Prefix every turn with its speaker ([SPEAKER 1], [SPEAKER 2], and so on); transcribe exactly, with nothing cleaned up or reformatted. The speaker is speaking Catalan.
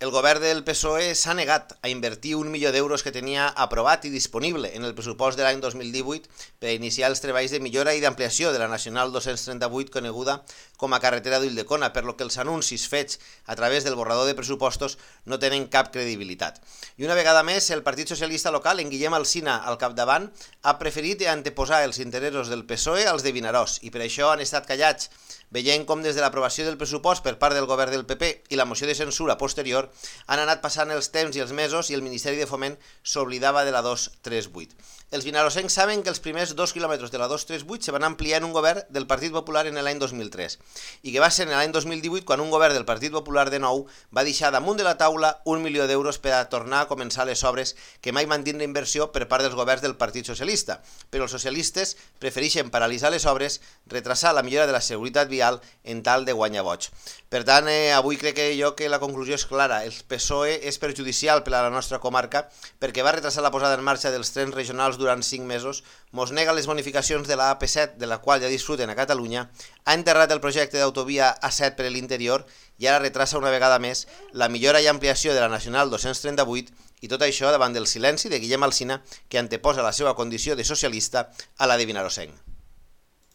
[SPEAKER 1] El govern del P S O E s'ha negat a invertir un milió d'euros que tenia aprovat i disponible en el pressupost de l'any dos mil divuit per iniciar els treballs de millora i d'ampliació de la Nacional dos-cents trenta-vuit, coneguda com a carretera d'Ulldecona, per lo que els anuncis fets a través del borrador de pressupostos no tenen cap credibilitat. I una vegada més, el Partit Socialista local, en Guillem Alsina al capdavant, ha preferit anteposar els interessos del P S O E als de Vinaròs i per això han estat callats, veient com des de l'aprovació del pressupost per part del govern del P P i la moció de censura posterior han anat passant els temps i els mesos i el Ministeri de Foment s'oblidava de la dos trenta vuit. Els vinarossencs saben que els primers dos quilòmetres de la dos trenta vuit se van ampliar en un govern del Partit Popular en l'any dos mil tres i que va ser en l'any dos mil divuit quan un govern del Partit Popular de nou va deixar damunt de la taula un milió d'euros per a tornar a començar les obres que mai van tindre inversió per part dels governs del Partit Socialista, però els socialistes prefereixen paralitzar les obres, retrasar la millora de la seguretat vial en tal de guanyar vots. Per tant, eh, avui crec que jo que la conclusió és clara. El P S O E és perjudicial per a la nostra comarca perquè va retrasar la posada en marxa dels trens regionals durant cinc mesos, mos nega les bonificacions de la A P set, de la qual ja disfruten a Catalunya, ha enterrat el projecte d'autovia A set per l'interior i ara retrasa una vegada més la millora i ampliació de la Nacional dos-cents trenta-vuit, i tot això davant del silenci de Guillem Alsina, que anteposa la seva condició de socialista a la de vinarossenc.